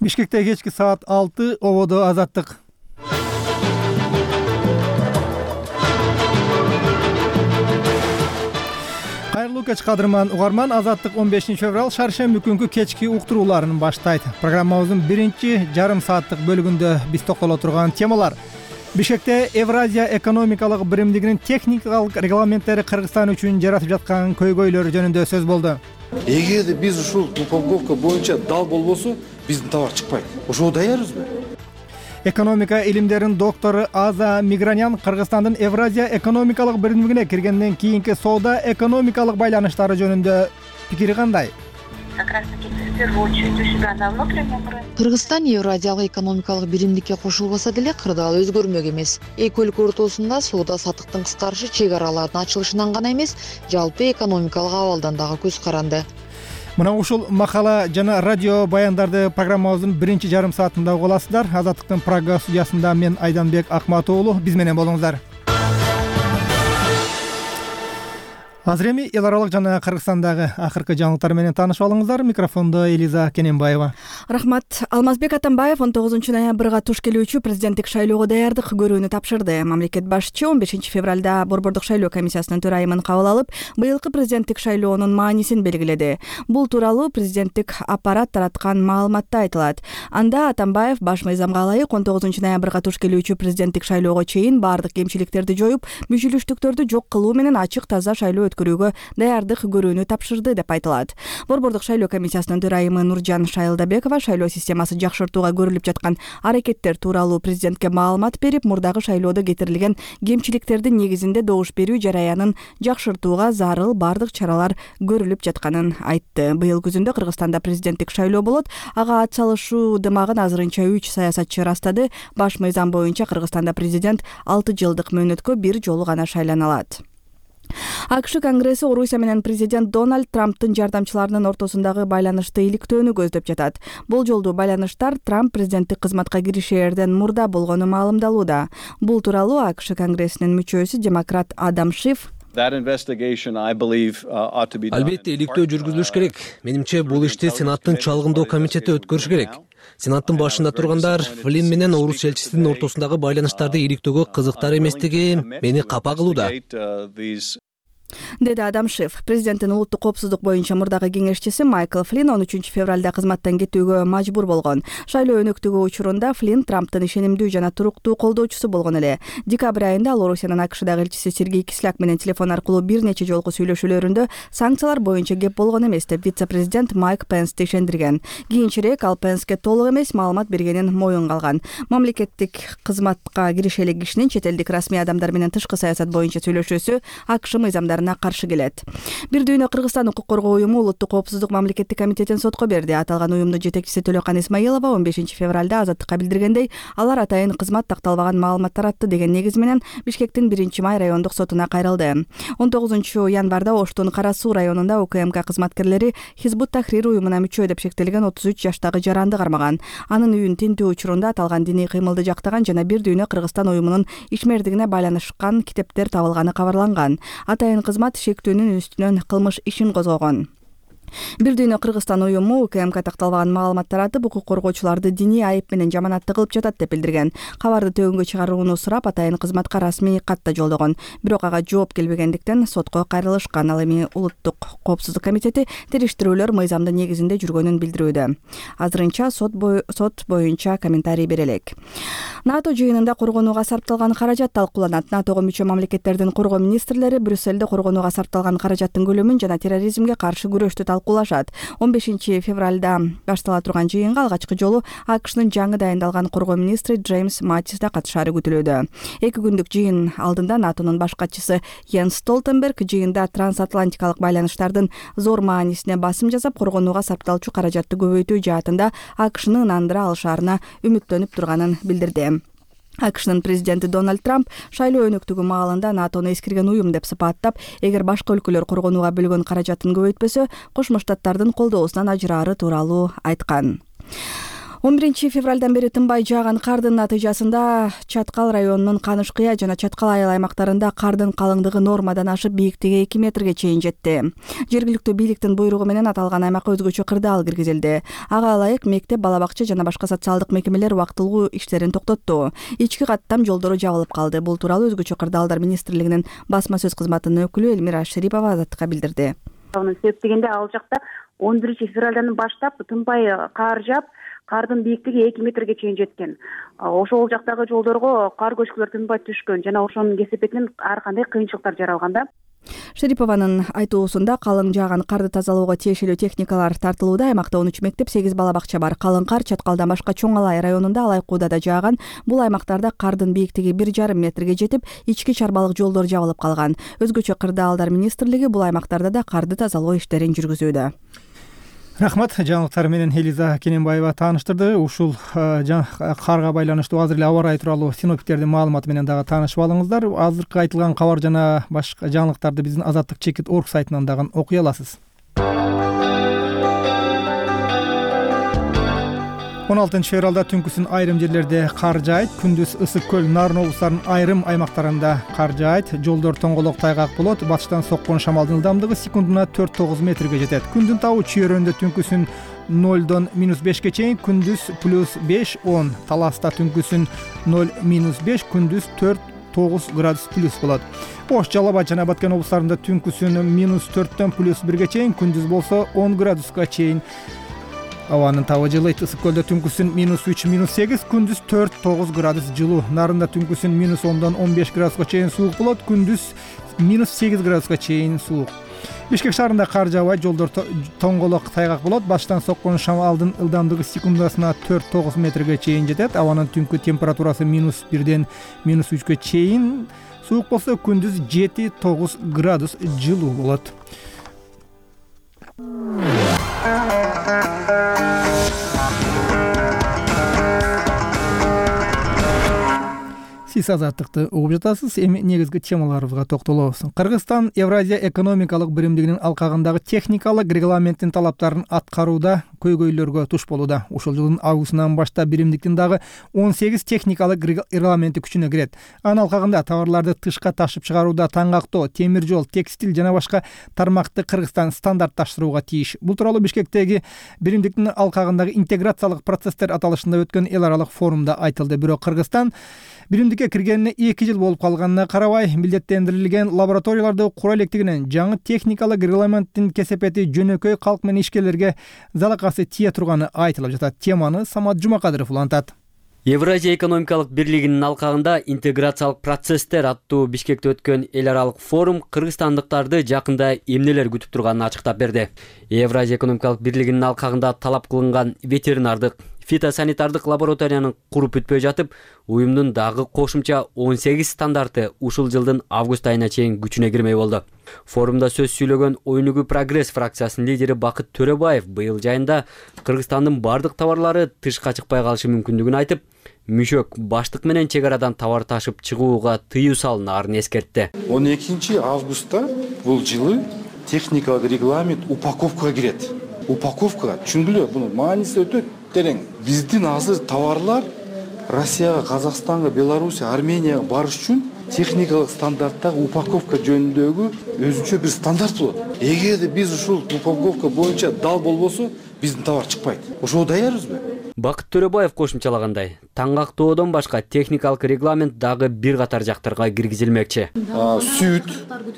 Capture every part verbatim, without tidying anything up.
Бишкекте кечки саат алты, ободо Азаттык. Кайрылуу кеч кадырман угарман, Азаттык он бешинчи февраль шаршемби күнкү кечки уктурууларын баштайт. Программабыздын биринчи жарым сааттык бөлүгүндө биз токтоло турган темалар: Бишкекте Евразия экономикалык биримдигинин техникалык регламенттери Кыргызстан үчүн жаратып жаткан көйгөйлөр жөнүндө сөз болду. Эгерде биз ушул упаковка боюнча дал болбосо, биздин товар чыкпайт. Ошого даярбызбы? Экономика илимдеринин доктору Аза Мигранян Кыргызстандын Евразия экономикалык биримдигине киргенден кийинки соода экономикалык байланыштары жөнүндө пикири кандай? Как раз таки в первую очередь у себя на внутреннем рынке. Кыргызстан Евразиялык экономикалык биримдикке кошулбаса деле кырдаал өзгөрмөк эмес. Эки өлкө ортосунда соода саттыктын кыскарышы чек аралардын ачылышынан гана эмес, жалпы экономикалык абалдан дагы көз каранды. Мына ушул макала жана радио баяндарды программабыздын биринчи жарым саатында уга аласыздар. Азаттыктын Прага студиясында мен Айданбек Акматов уулу, биз менен болуңуздар. Азыр эми эл аралык жана Кыргызстандагы акыркы жаңылыктар менен таанышып алыңыздар. Микрофондо Элиза Кененбаева. Рахмат. Алмазбек Атамбаев он тогузунчу ноябрга туш келүүчү президенттик шайлоого даярдык көрүүнү тапшырды. Мамлекет башчы он бешинчи февралда Борбордук шайлоо комиссиясынын төрайымын кабыл алып, быйылкы президенттик шайлоонун маанисин белгиледи. Бул тууралуу президенттик аппарат тараткан маалыматта айтылат. Анда Атамбаев баш мыйзамга ылайык он тогузунчу ноябрга туш келүүчү президенттик шайлоого чейин баардык кемчиликтерди жоюп, мүчүлүштүктөрдү жок кылуу менен ачык таза шайлоо өткөрүүгө даярдык көрүүнү тапшырды деп айтылат. Борбордук шайлоо комиссиясынын төрайымы Нуржан Шайылдабекова шайлоо системасы жакшыртууга көрүлүп жаткан аракеттер тууралуу президентке маалымат берип, мурдагы шайлоодо кетирилген кемчиликтердин негизинде добуш берүү жараянын жакшыртууга зарыл баардык чаралар көрүлүп жатканын айтты. Быйыл күзүндө Кыргызстанда президенттик шайлоо болот. Ага атсалышуу дымагын азырынча үч саясатчы ырастады. Баш мыйзам боюнча Кыргызстанда президент алты жылдык мөөнөткө бир жолу гана шайлана алат. АКШ Конгресси Орусия менен президент Дональд Трамптын жардамчыларынын ортосундагы байланышты иликтөөнү көздөп жатат. Бул жолдуу байланыштар Трамп президенттик кызматка киришээрден мурда болгону маалымдалууда. Бул тууралуу АКШ Конгрессинин мүчөсү демократ Адам Шиф Албетте иликтөө жүргүзүлүш керек. Менимче бул ишти Сенаттын чалгындоо комитети өткөрүш керек. Сенаттын башында тургандар Флинн менен орус элчисинин ортосундагы байланыштарды иликтөөгө кызыктар эместиги мени капа кылууда, деди Адам Шиф. Президенттин улуттук коопсуздук боюнча мурдагы кеңешчиси Майкл Флинн он үчүнчү февралда кызматтан кетүүгө мажбур болгон. Шайлоо өнөктүгү учурунда Флинн Трамптын ишенимдүү жана туруктуу колдоочусу болгон эле. Декабрь айында ал Орусиянын АКШдагы элчиси Сергей Кисляк менен телефон аркылуу бир нече жолку сүйлөшүүлөрүндө санкциялар боюнча кеп болгон эмес деп вице-президент Майк Пенсти ишендирген. Кийинчерээк ал Пенске толук эмес маалымат бергенин моюнга алган. Мамлекеттик кызматка кирише элек кишинин чет элдик расмий адамдар менен тышкы саясат боюнча сүйлөшүүсү АКШ мыйзамдарына каршы келет. Бир дүйнө Кыргызстан укук коргоо уюму улуттук коопсуздук мамлекеттик комитетин сотко берди. Аталган уюмдун жетекчиси Төлөкан Исмаилова он бешинчи февралда Азаттыкка билдиргендей, алар атайын кызмат такталбаган маалымат таратты деген негиз менен Бишкектин биринчи май райондук сотуна кайрылды. он тогузунчу январда Оштун Кара Суу районунда УКМК кызматкерлери Хизбут Тахрир уюмуна мүчө деп шектелген отуз үч жаштагы жаранды кармаган. Анын үйүн тинтүү учурунда аталган диний кыймылды жактаган жана бир дүйнө Кыргызстан уюмунун ишмердигине байланышкан китептер табылганы кабарланган. Атайын кызмат шектүүнүн үстүнөн кылмыш ишин козгогон. Бир дүйнө Кыргызстан уюму УКМК такталбаган маалымат таратып, укук коргоочуларды диний айып менен жаманатты кылып жатат деп билдирген. Кабарды төгүнгө чыгарууну сурап атайын кызматка расмий кат да жолдогон. Бирок ага жооп келбегендиктен сотко кайрылышкан. Ал эми улуттук коопсуздук комитети териштирүүлөр мыйзамдын негизинде жүргөнүн билдирүүдө. Азырынча сот бою сот боюнча комментарий бере элек. НАТО жыйынында коргонууга сарпталган каражат талкууланат. НАТОго мүчө мамлекеттердин коргоо министрлери Брюсселде коргонууга сарпталган каражаттын көлөмүн жана терроризмге каршы күрөштү талкуулашат. он бешинчи февралда баштала турган жыйынга алгачкы жолу АКШнын жаңы дайындалган коргоо министри Джеймс Маттис да катышаары күтүлүүдө. Эки күндүк жыйын алдында НАТОнун баш катчысы Йенс Столтенберг жыйында трансатлантикалык байланыштардын зор маанисине басым жасап, коргонууга сарпталчу каражатты көбөйтүү жаатында АКШны ынандыра алышаарына үмүттөнүп турганын билдирди. АКШнын президенти Дональд Трамп шайлоо өнөктүгү маалында НАТОну эскирген уюм деп сыпаттап, эгер башка өлкөлөр коргонууга бөлгөн каражатын көбөйтпөсө, Кошмо Штаттардын колдоосунан ажыраары тууралуу айткан. он биринчи февралдан бери тынбай жааган кардын натыйжасында Чаткал районунун Канышкыя жана Чаткал айыл аймактарында кардын калыңдыгы нормадан ашып бийиктиги эки метрге чейин жетти. Жергиликтүү бийликтин буйругу менен аталган аймакка өзгөчө кырдаал киргизилди. Ага ылайык мектеп, бала бакча жана башка социалдык мекемелер убактылуу иштерин токтотту. Ички каттам жолдору жабылып калды. Бул тууралуу өзгөчө кырдаалдар министрлигинин басма сөз кызматынын өкүлү Элмира Шерипова Азаттыкка билдирди. Анын себеп дегенде ал жакта он биринчи февралдан баштап тынбай кар жаап, кардын бийиктиги эки метрге чейин жеткен. Ошол жактагы жолдорго кар көчкүлөр тынбай түшкөн жана ошонун кесепетинен ар кандай кыйынчылыктар жаралган да. Шерипованын айтуусунда калың жааган карды тазалоого тиешелүү техникалар тартылууда. Аймакта он үч мектеп, сегиз бала бакча бар. Калың кар Чаткалдан башка Чоң Алай районунда, Алайкуудада да жааган. Бул аймактарда кардын бийиктиги бир жарым метрге жетип, ички чарбалык жолдор жабылып калган. Өзгөчө кырдаалдар министрлиги бул аймактарда да карды тазалоо иштерин жүргүзүүдө. Рахмат, жаңылыктар менен Элиза Кененбаева тааныштырды. Ушул карга байланыштуу азыр эле аба ырайы тууралуу синоптиктердин маалыматы менен дагы таанышып алыңыздар. Азыркы айтылган кабар жана башка жаңылыктарды биздин азаттык чекит орг сайтынан дагы окуй аласыз. он алтынчы февралда түнкүсүн айрым жерлерде кар жаайт. Күндүз ысык көл, Нарын облустарынын айрым аймактарында кар жаайт. Жолдор тоңголок, тайгак болот. Батыштан соккон шамалдын ылдамдыгы секундуна төрт тогуз метрге жетет. Күндүн табы чүйөрөндө түнкүсүн нолдон минус бешке чейин, күндүз плюс беш он. Таласта түнкүсүн ноль минус беш, күндүз төрт тогуз градус плюс болот. Ош, Жалал Абад жана Баткен облустарында түнкүсүн минус төрттөн плюс бирге чейин, күндүз болсо он градуска чейин. Абанын табы жылыйт. Ысык көлдө түнкүсүн минус үч минус сегиз, күндүз төрт тогуз градус жылуу. Нарында түнкүсүн минус ондон он беш градуска чейин суук болот, күндүз минус сегиз градуска чейин суук. Бишкек шаарында кар жаабайт, жолдор тоңголок, тайгак болот. Батыштан соккон шамалдын ылдамдыгы секундасына төрт тогуз метрге чейин жетет. Абанын түнкү температурасы минус бирден минус үчкө чейин суук болсо, күндүз жети тогуз градус жылуу болот. Сиз азаттыкты угуп жатасыз. Эми негизги темаларыбызга токтолобуз. Кыргызстан Евразия экономикалык биримдигинин алкагындагы техникалык регламенттин талаптарын аткарууда көйгөйлөргө туш болууда. Ушул жылдын августунан баштап биримдиктин дагы он сегиз техникалык регламенти күчүнө кирет. Анын алкагында товарларды тышка ташып чыгарууда таңгактоо, темир жол, текстиль жана башка тармакты Кыргызстан стандартташтырууга тийиш. Бул тууралуу Бишкектеги биримдиктин алкагындагы интеграциялык процесстер аталышында өткөн эл аралык форумда айтылды. Бирок Кыргызстан биримдикке киргенине эки жыл болуп калганына карабай, милдеттендирилген лабораторияларды кура электигинен жаңы техникалык регламенттин кесепети жөнөкөй калк менен ишкерлерге залакасы тие турганы айтылып жатат. Теманы Самат Жумакадыров улантат. Евразия экономикалык бирлигинин алкагында интеграциялык процесстер аттуу Бишкекте өткөн эл аралык форум кыргызстандыктарды жакында эмнелер күтүп турганын ачыктап берди. Евразия экономикалык бирлигинин алкагында талап кылынган ветеринардык, фитосанитардык лабораторияны куруп бүтпөй жатып, уюмдун дагы кошумча он сегиз стандарты ушул жылдын август айына чейин күчүнө кирмей болду. Форумда сөз сүйлөгөн Ойнугу Прогресс фракциясынын лидери Бакыт Төрөбаев быйыл жайында Кыргызстандын бардык товарлары тышка чыкпай калышы мүмкүндүгүн айтып, мүшөк баштык менен чек арадан товар ташып чыгууга тыюу салынаарын эскертти. он экинчи августта бул жылы техникалык регламент упаковкага кирет. Упаковка, түшүндүлө, бунун мааниси өтө терең. Биздин азыр товарлар Россияга, Казакстанга, Белоруссия, Арменияга барыш үчүн техникалык стандарттагы упаковка жөнүндөгү өзүнчө бир стандарт болот. Эгерде биз ушул упаковка боюнча дал болбосо, биздин товар чыкпайт. Ошого даярбызбы? Бакыт Төрөбаев кошумчалагандай, таңгактоодон башка техникалык регламент дагы бир катар жактарга киргизилмекчи. Сүт,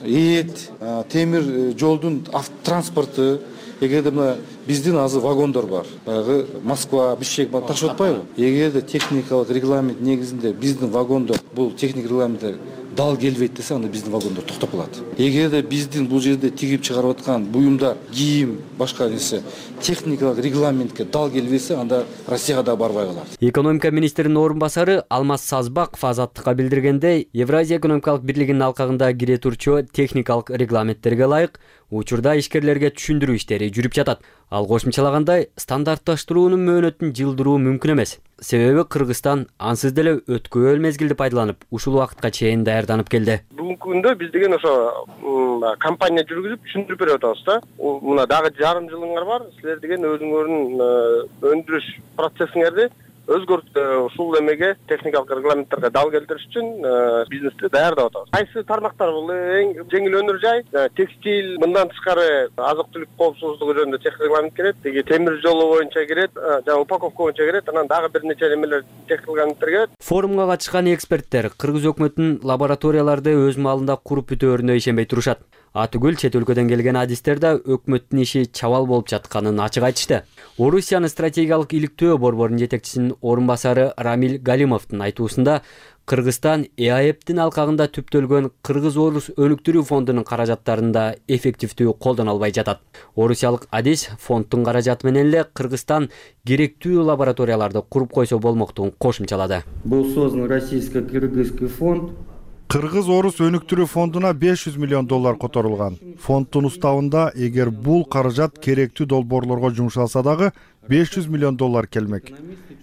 эт, темир жолдун автотранспорту, эгерде мына биздин азыр вагондор бар. Баягы Москва, Бишкек ташып атпайбы? Эгерде техникалык регламент негизинде биздин вагондор бул техник регламентке дал келбейт десе, анда биздин вагондор токтоп калат. Эгерде биздин бул жерде тигип чыгарып аткан буюмдар, кийим, башка нерсе техникалык регламентке дал келбесе, анда Россияга да барбай калат. Экономика министринин орун басары Алмаз Сазбаков Азаттыкка билдиргендей, Евразия экономикалык бирлигинин алкагында кире турчу техникалык регламенттерге ылайык учурда ишкерлерге түшүндүрүү иштери жүрүп жатат. Ал кошумчалагандай, стандартташтыруунун мөөнөтүн жылдыруу мүмкүн эмес. Себеби Кыргызстан ансыз деле өткөөл мезгилди пайдаланып, ушул убакытка чейин даярданып келди. Бүгүнкү күндө биз деген ошо компания жүргүзүп түшүндүрүп берип атабыз да. Мына дагы жарым жылыңар бар. Силер деген өзүңөрдүн өндүрүш процессиңерди өзгөртүп, ушул эмеге техникалык регламенттерге дал келтириш үчүн бизнести даярдап атабыз. Кайсы тармактар бул эң жеңил өнөр жай, текстиль, мындан тышкары азык-түлүк коопсуздугу жөнүндө тех регламент кирет, теги темир жолу боюнча кирет, жана упаковка боюнча кирет, анан дагы бир нече немелер тех регламенттер кирет. Форумга катышкан эксперттер Кыргыз өкмөтүнүн лабораторияларды өз маалында куруп бүтөөрүнө ишенбей турушат. Атүгүл чет өлкөдөн келген адистер да өкмөттүн иши чабал болуп жатканын ачык айтышты. Орусиянын стратегиялык иликтөө борборунун жетекчисинин орун басары Рамиль Галимовдун айтуусунда Кыргызстан и а эптин алкагында түптөлгөн Кыргыз-Орус өнүктүрүү фондунун каражаттарын да эффективдүү колдоно албай жатат. Орусиялык адис фонддун каражаты менен эле Кыргызстан керектүү лабораторияларды куруп койсо болмоктугун кошумчалады. Был создан российско-кыргызский фонд. Кыргыз-Орус өнүктүрүү фондуна беш жүз миллион доллар которулган. Фонддун уставында эгер бул каражат керектүү долбоорлорго жумшалса дагы беш жүз миллион доллар келмек.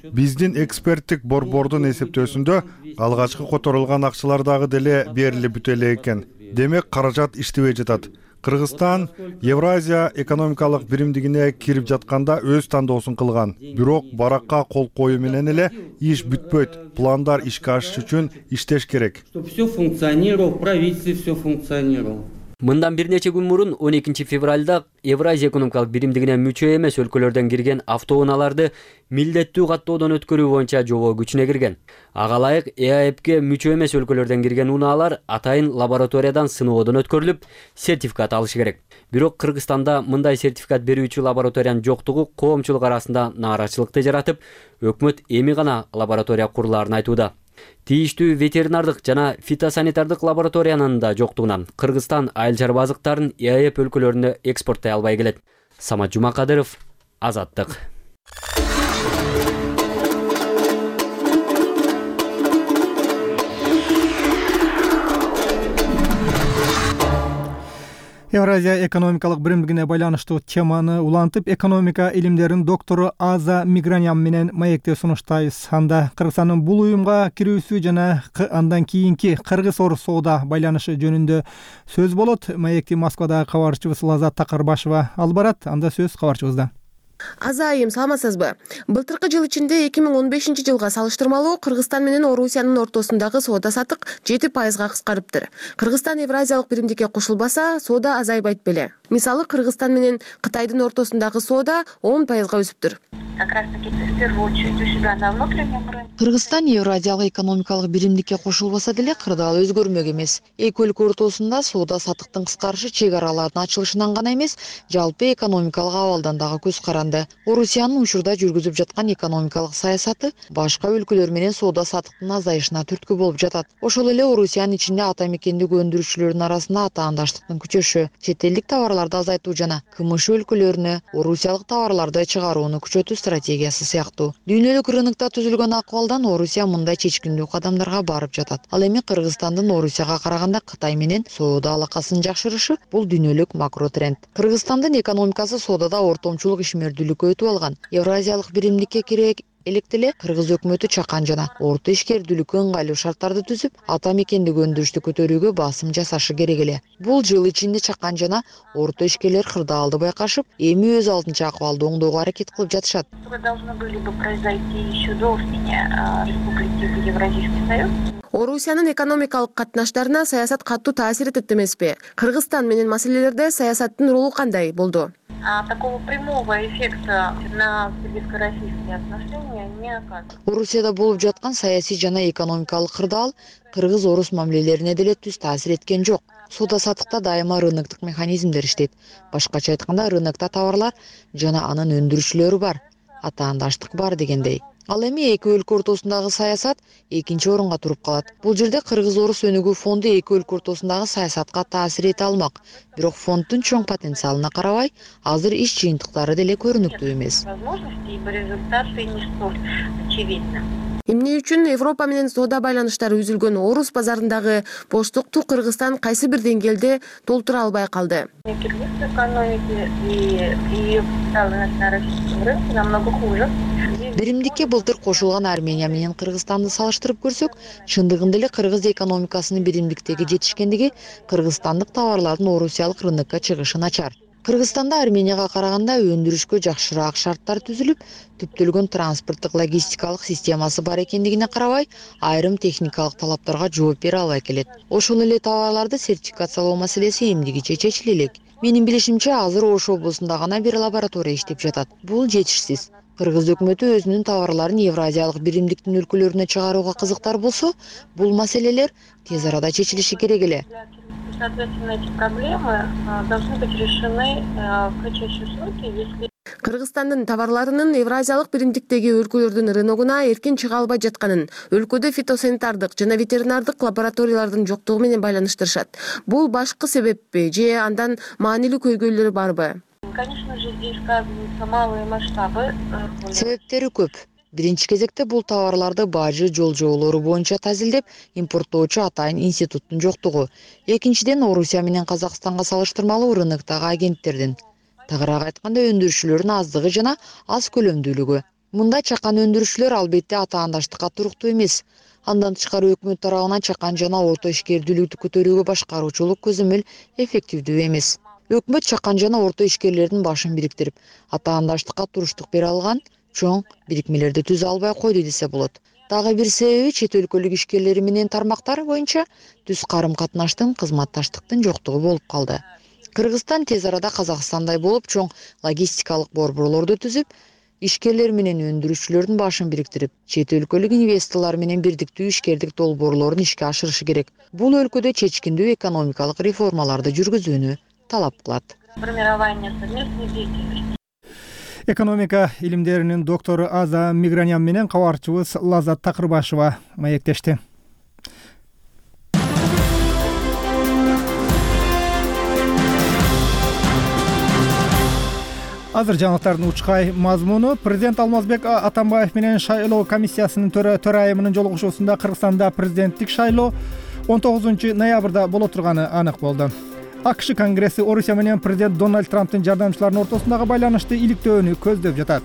Биздин эксперттик борбордун эсептөөсүндө алгачкы которулган акчалар дагы деле берилип бүтө элек экен. Демек каражат иштебей жатат. Кыргызстан Евразия экономикалык биримдигине кирип жатканда өз тандоосун кылган. Бирок баракка кол коюу менен эле иш бүтпөйт. Пландар ишке ашыш үчүн иштеш керек. Чтобы все функционировало, в правительстве все функционировало. Мындан бир нече күн мурун он экинчи февралда Евразия экономикалык биримдигине мүчө эмес өлкөлөрдөн кирген автоунааларды милдеттүү каттоодон өткөрүү боюнча жобо күчүнө кирген. Ага ылайык и а эпке мүчө эмес өлкөлөрдөн кирген унаалар атайын лабораториядан сыноодон өткөрүлүп, сертификат алышы керек. Бирок Кыргызстанда мындай сертификат берүүчү лабораториянын жоктугу коомчулук арасында нааразычылыкты жаратып, өкмөт эми гана лаборатория курулаарын айтууда. Тийиштүү ветеринардык жана фитосанитардык лабораториянын да жоктугунан Кыргызстан айыл чарба азыктарын и а эп өлкөлөрүнө экспорттой албай келет. Самат Жумакадыров, Азаттык. Евразия экономикалык биримдигине байланыштуу теманы улантып, экономика илимдеринин доктору Аза Мигранян менен маекте сунуштайбыз. Анда Кыргызстандын бул уюмга кирүүсү жана андан кийинки Кыргыз-Орус соода байланышы жөнүндө сөз болот. Маекти Москвадагы кабарчыбыз Лазат Такырбашева алып барат. Анда сөз кабарчыбызда. Аза айым, саламатсызбы? Былтыркы жыл ичинде эки миң он бешинчи жылга салыштырмалуу Кыргызстан менен Орусиянын ортосундагы соода сатык жети пайызга кыскарыптыр. Кыргызстан Евразиялык биримдикке кошулбаса, соода азайбайт беле. Мисалы, Кыргызстан менен Кытайдын ортосундагы соода он пайызга өсүптүр. Как раз таки в первую очередь у себя на внутреннем рынке. Кыргызстан Евразиялык экономикалык биримдикке кошулбаса деле кырдаал өзгөрмөк эмес. Эки өлкө ортосунда соода сатыктын кыскарышы чек аралардын ачылышынан гана эмес, жалпы экономикалык абалдан дагы көз каранды. Орусиянын учурда жүргүзүп жаткан экономикалык саясаты башка өлкөлөр менен соода сатыктын азайышына түрткү болуп жатат. Ошол эле Орусиянын ичинде ата мекендик өндүрүүчүлөрдүн арасында атаандаштыктын күчөшү, чет элдик товарларды азайтуу жана КМШ өлкөлөрүнө орусиялык товарларды чыгарууну күчөтүү стратегиясы сыяктуу. Дүйнөлүк рынокто түзүлгөн акыбалдан Орусия мындай чечкиндүү кадамдарга барып жатат. Ал эми Кыргызстандын Орусияга караганда Кытай менен соода алакасын жакшырышы бул дүйнөлүк макро тренд. Кыргызстандын экономикасы соодада ортомчулук ишмердүүлүккө өтүп алган. Евразиялык биримдикке кире электе эле Кыргыз өкмөтү чакан жана орто ишкердүүлүккө ыңгайлуу шарттарды түзүп, ата мекендик өндүрүштү көтөрүүгө басым жасашы керек эле. Бул жыл ичинде чакан жана орто ишкерлер кырдаалды байкашып, эми өз алдынча акыбалды оңдоого аракет кылып жатышат. Должны были бы произойти еще до вступления республики в Евразийский союз. Орусиянын экономикалык катнаштарына саясат катуу таасир этет эмеспи? Кыргызстан менен маселелерде саясаттын ролу кандай болду? Такого прямого эффекта на кыргызско-российские отношения не оказывается. Орусияда болуп жаткан саясий жана экономикалык кырдаал Кыргыз-Орус мамилелерине деле түз таасир эткен жок. Соода сатыкта дайыма рыноктук механизмдер иштейт. Башкача айтканда, рынокто товарлар жана анын өндүрүүчүлөрү бар, атаандаштык бар дегендей. Ал эми эки өлкө ортосундагы саясат экинчи орунга туруп калат. Бул жерде Кыргыз-Орус өнүгүү фонду эки өлкө ортосундагы саясатка таасир эте алмак. Бирок фонддун чоң потенциалына карабай, азыр иш жыйынтыктары деле көрүнүктүү эмес. Возможности и результаты не столь очевидны. Эмне үчүн Европа менен соода байланыштары үзүлгөн Орус базарындагы боштукту Кыргызстан кайсы бир деңгээлде толтура албай калды? Кыргызской экономики и ее представленность на российском рынке намного хуже. Биримдикке былтыр кошулган Армения менен Кыргызстанды салыштырып көрсөк, чындыгында эле кыргыз экономикасынын биримдиктеги жетишкендиги кыргызстандык товарлардын орусиялык рынокко чыгышы начар. Кыргызстанда Арменияга караганда өндүрүшкө жакшыраак шарттар түзүлүп, түптөлгөн транспорттук логистикалык системасы бар экендигине карабай, айрым техникалык талаптарга жооп бере албай келет. Ошол эле товарларды сертификациялоо маселеси эмдигиче чечиле элек. Менин билишимче, азыр Ош облусунда гана бир лаборатория иштеп жатат. Бул жетишсиз. Кыргыз өкмөтү өзүнүн товарларын Евразиялык биримдиктин өлкөлөрүнө чыгарууга кызыктар болсо, бул маселелер тез арада чечилиши керек эле. Соответственно, эти проблемы должны быть решены в кратчайшие сроки, если Кыргызстандын товарларынын Евразиялык биримдиктеги өлкөлөрдүн рыногуна эркин чыга албай жатканын өлкөдө фитосанитардык жана ветеринардык лабораториялардын жоктугу менен байланыштырышат. Бул башкы себеппи же андан маанилүү көйгөйлөрү барбы? Конечно же, здесь сказываются малые масштабы. Себептери көп. Биринчи кезекте бул товарларды бажы жол жоолору боюнча тазилдеп импорттоочу атайын институттун жоктугу. Экинчиден, Орусия менен Казакстанга салыштырмалуу рыноктогу агенттердин, тагыраак айтканда өндүрүүчүлөрдүн аздыгы жана аз көлөмдүүлүгү. Мында чакан өндүрүүчүлөр албетте атаандаштыкка туруктуу эмес. Андан тышкары өкмөт тарабынан чакан жана орто ишкердүүлүктү көтөрүүгө башкаруучулук көзөмөл эффективдүү эмес. Өкмөт чакан жана орто ишкерлердин башын бириктирип, атаандаштыкка туруштук бере алган чоң бирикмелерди түзө албай койду десе болот. Дагы бир себеби чет өлкөлүк ишкерлери менен тармактар боюнча түз карым катнаштын, кызматташтыктын жоктугу болуп калды. Кыргызстан тез арада Казакстандай болуп чоң логистикалык борборлорду түзүп, ишкерлер менен өндүрүүчүлөрдүн башын бириктирип, чет өлкөлүк инвесторлор менен бирдиктүү ишкердик долбоорлорун ишке ашырышы керек. Бул өлкөдө чечкиндүү экономикалык реформаларды жүргүзүүнү талап кылат. Формирование совместной деятельности. Экономика илимдеринин доктору Аза Мигранян менен кабарчыбыз Лаззат Такырбашева маектешти. Азыр жаңылыктардын учкай мазмуну. Президент Алмазбек Атамбаев менен шайлоо комиссиясынын төрайымынын жолугушуусунда Кыргызстанда президенттик шайлоо он тогузунчу ноябрда боло турганы анык болду. АКШ Конгресси Орусия менен президент Дональд Трамптын жардамчыларынын ортосундагы байланышты иликтөөнү көздөп жатат.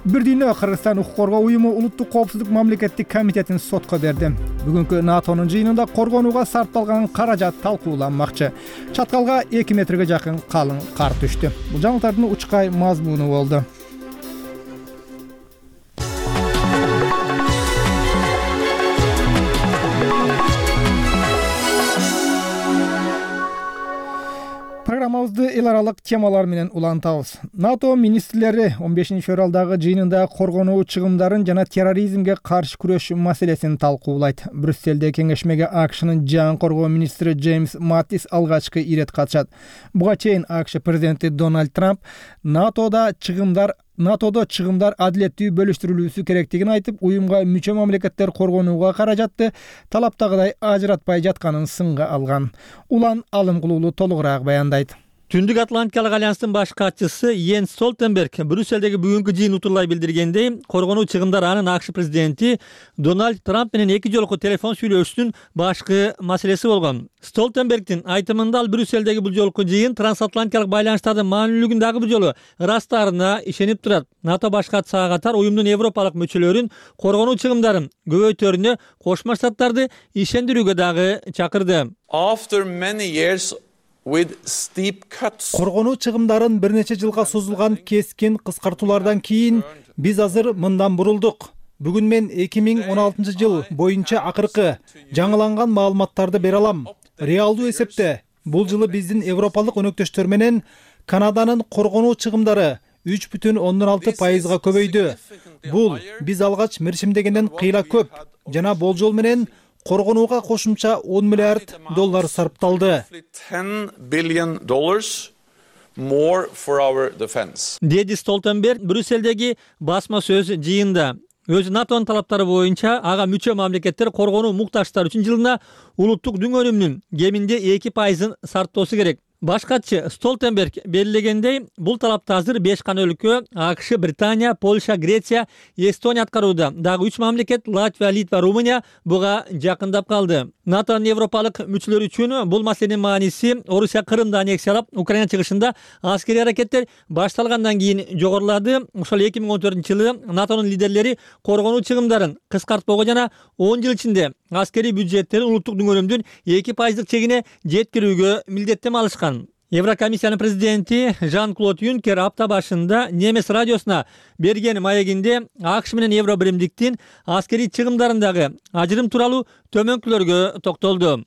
Бир дүйнө Кыргызстан укук коргоо уюму Улуттук коопсуздук мамлекеттик комитетин сотко берди. Бүгүнкү НАТОнун жыйынында коргонууга сарпталган каражат талкууланмакчы. Чаткалга эки метрге жакын калың кар түштү. Бул жаңылыктардын учкай мазмуну болду. Программабызды эл аралык темалар менен улантабыз. НАТО министрлери он бешинчи февралдагы жыйынында коргонуу чыгымдарын жана терроризмге каршы күрөш маселесин талкуулайт. Брюсселде кеңешмеге АКШнын жан коргоо министри Джеймс Маттис алгачкы ирет катышат. Буга чейин АКШ президенти Дональд Трамп НАТОда чыгымдар НАТОдо чыгымдар адилеттүү бөлүштүрүлүүсү керектигин айтып, уюмга мүчө мамлекеттер коргонууга каражатты талаптагыдай ажыратпай жатканын сынга алган. Улан Алымкулуулу толугураак баяндайт. Түндүк Атлантикалык альянстын баш катчысы Йенс Столтенберг Брюссельдеги бүгүнкү жыйын утурлай билдиргендей, коргонуу чыгымдар анын АКШ президенти Дональд Трамп менен эки жолку телефон сүйлөшүүсүнүн башкы маселеси болгон. Столтенбергдин айтымында ал Брюссельдеги бул жолку жыйын трансатлантикалык байланыштардын маанилүүлүгүн дагы бир жолу ырастаарына ишенип турат. НАТО баш катчысы катар уюмдун европалык мүчөлөрүн коргонуу чыгымдарын көбөйтөрүнө Кошмо Штаттарды ишендирүүгө дагы чакырды. After many years Коргонуу чыгымдарын бир нече жылга созулган кескин кыскартуулардан кийин биз азыр мындан бурулдук. Бүгүн мен эки миң он алтынчы жыл боюнча акыркы жаңыланган маалыматтарды бере алам. Реалдуу эсепте бул жылы биздин европалык өнөктөштөр менен Канаданын коргонуу чыгымдары үч бүтүн ондон алты пайызга көбөйдү. Бул биз алгач мерчимдегенден кыйла көп жана болжол менен коргонууга кошумча он миллиард доллар сарпталды. Деди Столтенберг Брюссельдеги басма сөз жыйында. Өзү НАТОнун талаптары боюнча ага мүчө мамлекеттер коргонуу муктаждар үчүн жылына улуттук дүң өнүмүнүн кеминде эки пайызын сарптоосу керек. Баш катчы Столтенберг белгилегендей, бул талапты азыр беш гана өлкө — АКШ, Британия, Польша, Греция, Эстония аткарууда. Дагы үч мамлекет — Латвия, Литва, Румыния буга жакындап калды. НАТОнун европалык мүчөлөрү үчүн бул маселенин мааниси Орусия Крымды аннексиялап, Украина чыгышында аскерий аракеттер башталгандан кийин жогорулады. Ошол эки миң он төртүнчү жылы НАТОнун лидерлери коргонуу чыгымдарын кыскартпоого жана он жыл ичинде аскерий бюджеттерин улуттук дүңгөрүмдүн эки пайыздык чегине жеткирүүгө милдеттеме алышкан. Еврокомиссиянын президенти Жан-Клод Юнкер апта башында Немес радиосуна берген маегинде АКШ менен евро биримдиктин аскерий чыгымдарындагы ажырым тууралуу төмөнкүлөргө токтолду.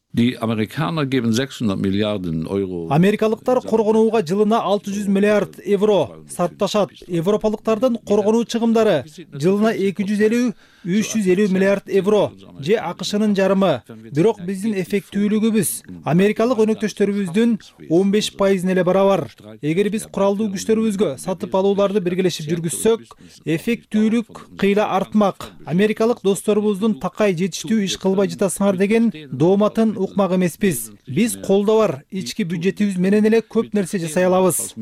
Америкалыктар коргонууга жылына алты жүз миллиард евро сарпташат. Европалыктардын коргонуу чыгымдары жылына эки жүз элүү — үч жүз элүү миллиард евро же АКШнын жарымы. Бирок биздин эффектүүлүгүбүз америкалык өнөктөштөрүбүздүн он беш пайызына эле барабар. Эгер биз куралдуу күчтөрүбүзгө сатып алууларды биргелешип жүргүзсөк, эффектүүлүк кыйла артмак. Америкалык досторубуздун такай жетиштүү иш кылбай жатасыңар деген дооматын укмак эмеспиз. Биз колдо бар ички бюджетибиз менен эле көп нерсе жасай алабыз.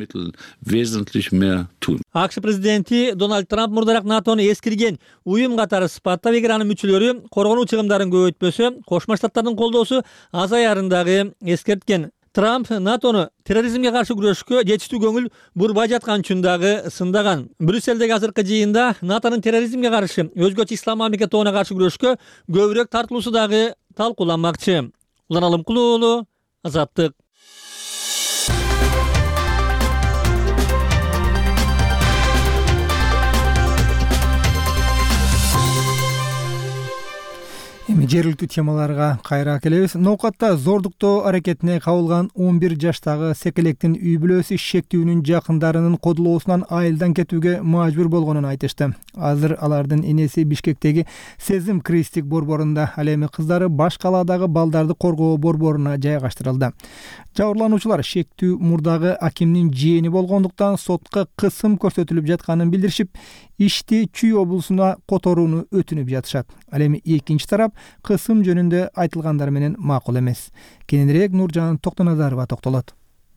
АКШ президенти Дональд Трамп мурдараак НАТОну эскирген уюм катары сыпаттап, эгер анын мүчөлөрү коргонуу чыгымдарын көбөйтпөсө, Кошмо Штаттардын колдоосу азаярын дагы эскерткен. Трамп НАТОну терроризмге каршы күрөшкө жетиштүү көңүл бурбай жаткан үчүн дагы сындаган. Брюссельдеги азыркы жыйында НАТОнун терроризмге каршы, өзгөчө ислам мамлекет тобуна каршы күрөшкө көбүрөөк тартылуусу дагы талкууланмакчы. Улан Алымкулуу уулу, Азаттык. Эми жергиликтүү темаларга кайра келебиз. Ноокатта зордуктоо аракетине кабылган он бир жаштагы секелектин үй бүлөсү шектүүнүн жакындарынын кодулоосунан айылдан кетүүгө мажбур болгонун айтышты. Азыр алардын энеси Бишкектеги Сезим Кристик борборунда, ал эми кыздары баш калаадагы балдарды коргоо борборуна жайгаштырылды. Жабырлануучулар шектүү мурдагы акимдин жээни болгондуктан сотко кысым көрсөтүлүп жатканын билдиришип, ишти Чүй облусуна которууну өтүнүп жатышат. Ал эми экинчи тарап кысым жөнүндө айтылгандар менен макул эмес. Кененирээк Нуржан Токтоназарова токтолот.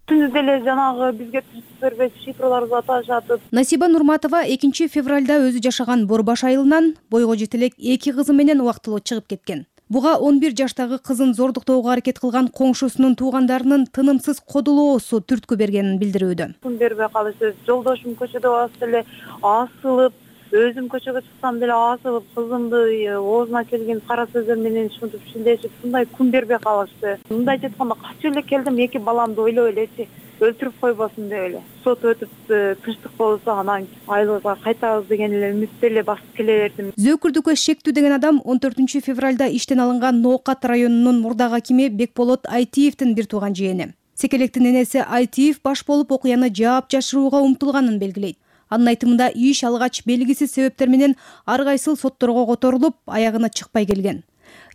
Түнү деле жанагы бизге түзүп бербеш шифрларды аташатып. Насиба Нурматова экинчи февралда өзү жашаган Борбаш айылынан бойго жетелек эки кызы менен убактылуу чыгып кеткен. Буга он бир жаштагы кызын зордуктоого аракет кылган коңшусунун туугандарынын тынымсыз кодулоосу түрткү бергенин билдирүүдө. Күн бербей калышты. Жолдошум көчөдө басып эле асылып, өзүм көчөгө чыксам деле асылып, кызымды оозуна келген кара сөздөр менен шунтуп шилдешип, мындай күн бербей калышты. Мындай айтканда качып эле келдим, эки баламды ойлоп элечи, өлтүрүп койбосун деп эле. Сот өтүп тынчтык болсо анан айылга кайтабыз деген эле үмүттө эле басып келе бердим. Зөөкүрдүккө шектүү деген адам он төртүнчү февралда иштен алынган Ноокат районунун мурдагы акими Бекболот Айтиевдин бир тууган жээни. Секелектин энеси Айтиев баш болуп окуяны жаап жашырууга умтулганын белгилейт. Анын айтымында иш алгач белгисиз себептер менен ар кайсыл сотторго которулуп, аягына чыкпай келген.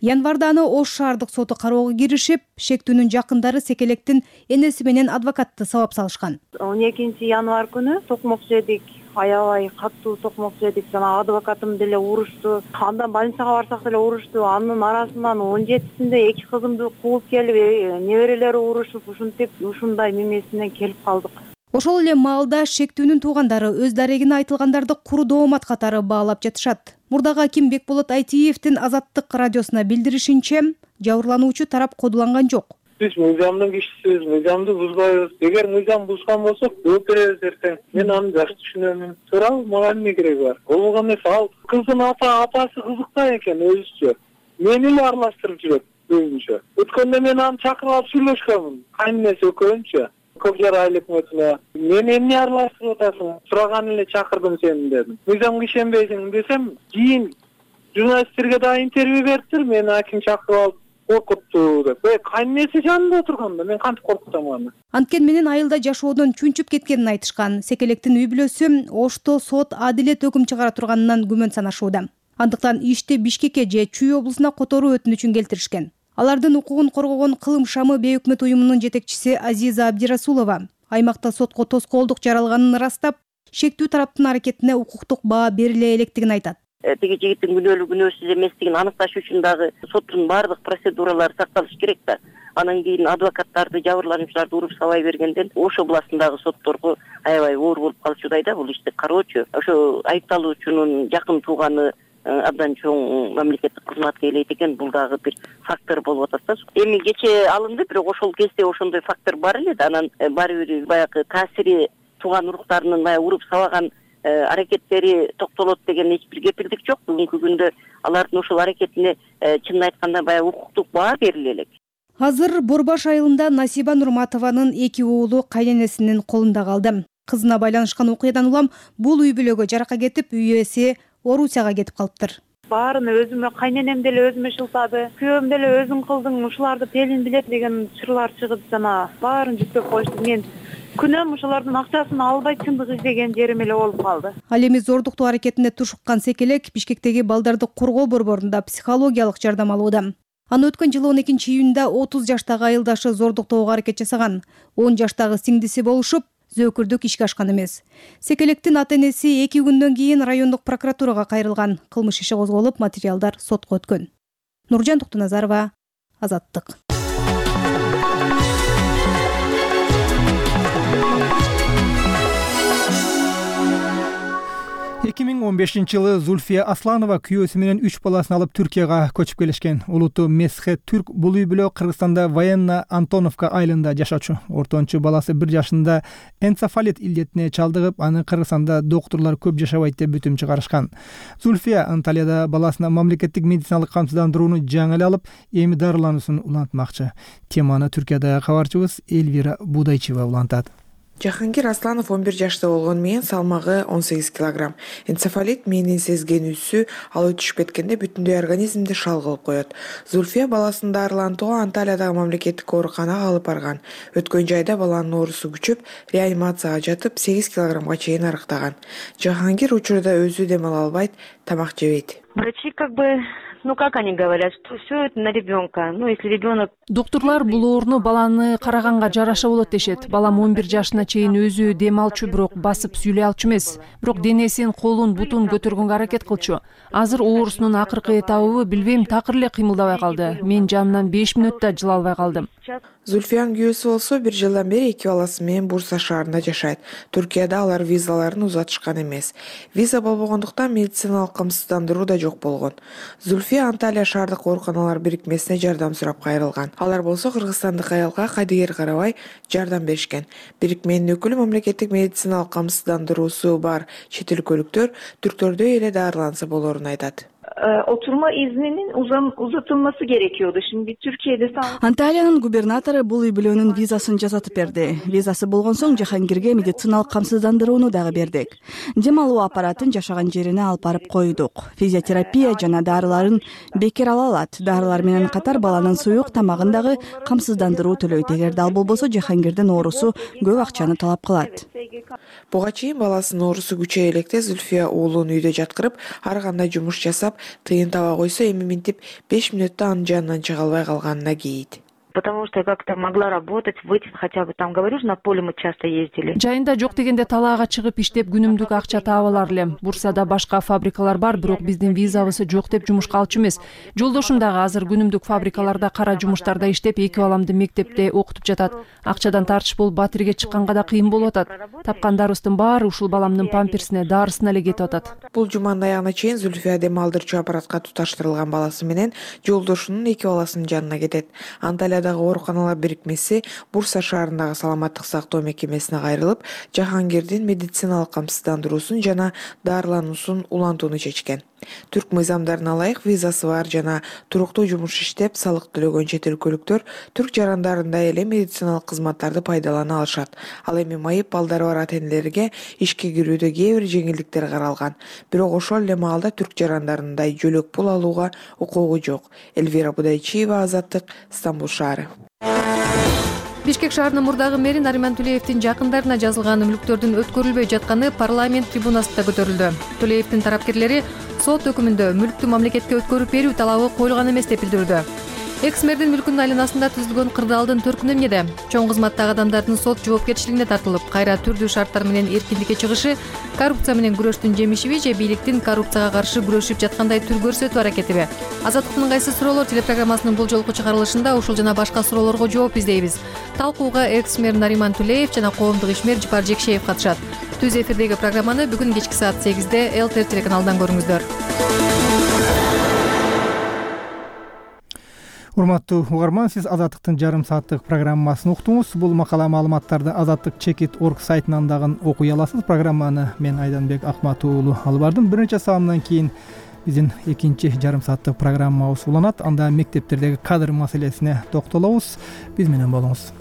Январда аны Ош шаардык соту кароого киришип, шектүүнүн жакындары Секелектин энеси менен адвокатты сабап салышкан. он экинчи январь күнү токмок жедик, аябай катуу токмок жедик. Жана адвокатым деле урушту. Андан больницага барсак деле урушту. Анын арасынан он жетисинде эки кызымды кууп келип, неберелери урушуп, ушинтип ушундай мемесинен келип калдык. Ошол эле маалда шектүүнүн туугандары өз дарегине айтылгандарды куру доомат катары баалап жатышат. Мурдагы аким Бекболот Айтиевдин Азаттык радиосуна билдиришинче, жабырлануучу тарап кодуланган жок. Биз мыйзамдын кишисибиз, мыйзамды бузбайбыз. Эгер мыйзам бузган болсок, жооп беребиз эртең. Мен аны жакшы түшүнөмүн. Туурабы, мага эмне кереги бар? Ол болгон нерсе, ал кыздын ата апасы кызыкта экен өзүчө. Мени эле аралаштырып жүрөт өзүнчө. Өткөндө мен аны чакырып алып сүйлөшкөнмүн. Кайненеси экөөнчө. Көкжар айыл өкмөтүнө мен эмне аралаштырып атасың? Сураган эле чакырдым сени дедим. Мыйзамга ишенбейсиң десем, кийин журналисттерге да интервью бериптир, мени аким чакырып алып коркутту деп. Э, кайненеси жанында отурганда мен кантип коркутам аны? Анткени менен айылда жашоодон чүнчүп кеткенин айтышкан. Секелектин үй бүлөсү Ошто сот адилет өкүм чыгара турганынан күмөн санашууда. Андыктан ишти Бишкекке же Чүй облусуна которуу өтүнүчүн келтиришкен. Алардын укугун коргогон Кылым шамы бейөкмөт уюмунун жетекчиси Азиза Абдирасулова аймакта сотко тоскоолдук жаралганын ырастап, шектүү тараптын аракетине укуктук баа бериле электигин айтат. Тиги жигиттин күнөөлүү күнөөсүз эместигин аныкташ үчүн дагы соттун баардык процедуралары сакталыш керек да. анан кийин адвокаттарды, жабырлануучуларды уруп сабай бергенден Ош областындагы сотторго аябай оор болуп калчудай да бул ишти кароочу. Ошо айыпталуучунун жакын тууганы абдан чоң мамлекеттик кызматка ээлейт экен, бул дагы бир фактор болуп атат да. Эми кече алынды, бирок ошол кезде ошондой фактор бар эле да. Анан баары бир баягы таасири тууган уруктарынын баягы уруп сабаган аракеттери токтолот деген эч бир кепилдик жок. Бүгүнкү күндө алардын ошол аракетине чынын айтканда баягы укуктук баа бериле элек. Азыр Борбаш айылында Насиба Нурматованын эки уулу кайненесинин колунда калды. Кызына байланышкан окуядан улам бул үй бүлөгө жарака кетип, үй ээси Орусияга кетип калыптыр. Баарыны өзүмө, кайненем деле өзүмө шылтады, күйөөм деле өзүң кылдың, ушуларды Пелин билет деген чырлар чыгып жана баарын жүктөп коюшту. Мен күнөм ошолордун акчасын албай чындык издеген жерим эле болуп калды. Ал эми зордуктуу аракетине тушуккан Секелек Бишкектеги балдарды коргоо борборунда психологиялык жардам алууда. Аны өткөн жылы он экинчи июнда отуз жаштагы айылдашы зордуктоого аракет жасаган. он жаштагы сиңдиси болушуп, зөөкүрдүк ишке ашкан эмес. Секелектин ата-энеси эки күндөн кийин райондук прокуратурага кайрылган. Кылмыш иши козголуп, материалдар сотко өткөн. Нуржан Токтоназарова, Азаттык. эки миң он бешинчи жылы Зульфия Асланова күйөөсү менен үч баласын алып Түркияга көчүп келишкен. Улуту Месхет Түрк бул үй бүлө Кыргызстанда Военно Антоновка айылында жашачу. Ортончу баласы бир жашында энцефалит илдетине чалдыгып, аны Кыргызстанда доктурлар көп жашабайт деп бүтүм чыгарышкан. Зульфия Анталияда баласына мамлекеттик медициналык камсыздандырууну жаңы эле алып, эми дарылануусун улантмакчы. Теманы Түркиядагы кабарчыбыз Эльвира Будайчева улантат. Жахангир Асланов он бир жашта болгону менен салмагы он сегиз килограмм. Энцефалит менин сезгенүүсү ал өтүшүп кеткенде бүтүндөй организмди шал кылып коет. Зульфия баласын дарылантууга Анталиядагы мамлекеттик ооруканага алып барган. Өткөн жайда баланын оорусу күчөп, реанимацияга жатып сегиз килограммга чейин арыктаган. Жахангир учурда өзү дем ала албайт, тамак жебейт. Врачи как бы Ну как они говорят, что все это на ребенка. Ну если ребенок. Доктурлар бул ооруну баланы караганга жараша болот дешет. Балам он бир жашына чейин өзү дем алчу, бирок басып сүйлөй алчу эмес. Бирок денесин, колун, бутун көтөргөнгө аракет кылчу. Азыр оорусунун акыркы этабыбы билбейм, такыр эле кыймылдабай калды. Мен жанынан беш мүнөттө жыла албай калдым. Зульфиянын күйөөсү болсо бир жылдан бери эки баласы менен Бурса шаарында жашайт. Түркияда алар визаларын узатышкан эмес. Виза болбогондуктан медициналык камсыздандыруу да жок болгон. Зульфия Анталия шаардык ооруканалар бирикмесине жардам сурап кайрылган. Алар болсо кыргызстандык аялга кайдыгер карабай жардам беришкен. Бирикменин өкүлү мамлекеттик медициналык камсыздандыруусу бар чет өлкөлүктөр түрктөрдөй эле дарыланса болорун айтат. Oturma izninin uzam, uzatılması gerekiyordu. Şimdi Türkiye'de sağlık... Анталиянын губернатору бул үй бүлөнүн визасын жасатып берди. Визасы болгон соң Жахангирге медициналык камсыздандырууну дагы бердик. Дем алуу аппаратын жашаган жерине алып барып койдук. Физиотерапия жана дарыларын бекер ала алат. Дарылар менен катар баланын суюк тамагын дагы камсыздандыруу төлөйт. Эгерде ал болбосо Жахангирдин оорусу көп акчаны талап кылат. Буга чейин баласынын оорусу күчөй электе Зульфия уулун үйдө жаткырып, ар кандай жумуш жасап, тыйын таба койсо эми минтип беш мүнөттө анын жанынан чыга албай калганына кейийт. Потому что как-то могла работать, выйти хотя бы там, говорю же, на поле мы часто ездили. Жайында жок дегенде талаага чыгып иштеп күнүмдүк акча таап алар элем. Бурсада башка фабрикалар бар, бирок биздин визабыз жок деп жумушка алчу эмес. Жолдошум дагы азыр күнүмдүк фабрикаларда, кара жумуштарда иштеп, эки баламды мектепте окутуп жатат. Акчадан тартыш болуп батирге чыкканга да кыйын болуп атат. Тапкандарыбыздын баары ушул баламдын памперсине, дарысына эле кетип атат. Бул жуманын аягына чейин Зульфия дем алдырчу аппаратка туташтырылган баласы менен жолдошунун эки баласынын жанына кетет. Анталиядагы ооруканалар бирикмеси Бурса шаарындагы саламаттык сактоо мекемесине кайрылып, Жахангирдин медициналык камсыздандыруусун жана дарылануусун улантууну чечкен. Түрк мыйзамдарына ылайык визасы бар жана туруктуу жумуш иштеп, салык төлөгөн чет өлкөлүктөр түрк жарандарында эле медициналык кызматтарды пайдалана алышат. Ал эми майып балдары бар ата-энелерге ишке кирүүдө кээ бир жеңилдиктер каралган. Бирок ошол эле маалда түрк жарандарындай жөлөк пул алууга укугу жок. Эльвира Будайчиева, Азаттык, Стамбул шаары. Бишкек шаарынын мурдагы мэри Нариман Тулеевдин жакындарына жазылган мүлктөрдүн өткөрүлбөй жатканы парламент трибунасында көтөрүлдү. Тулеевдин тарапкерлери сот өкүмүндө мүлктү мамлекетке өткөрүп берүү талабы коюлган эмес деп билдирүүдө. экс мэрдин мүлкүнүн айланасында түзүлгөн кырдаалдын төркүнү эмнеде? Чоң кызматтагы адамдардын сот жоопкерчилигине тартылып, кайра түрдүү шарттар менен эркиндикке чыгышы коррупция менен күрөштүн жемишиби же бийликтин коррупцияга каршы күрөшүп жаткандай түр көрсөтүү аракетиби? Азаттыктын кайсы суроолор телепрограммасынын бул жолку чыгарылышында ушул жана башка суроолорго жооп издейбиз. Талкууга экс мэр Нариман Тулеев жана коомдук ишмер Жыпар Жекшеев катышат. Түз эфирдеги программаны бүгүн кечки саат сегизде эл тэ эр телеканалынан көрүңүздөр. Урматтуу угарман, сиз Азаттыктын жарым сааттык программасын уктуңуз. Бул макала маалыматтарды азаттык чекит точка орг сайтынан дагы окуй аласыз. Программаны мен Айданбек Акмат уулу алып бардым. Бир нече саамдан кийин биздин экинчи жарым сааттык программабыз уланат. Анда мектептердеги кадр маселесине токтолобуз. Биз менен болуңуз.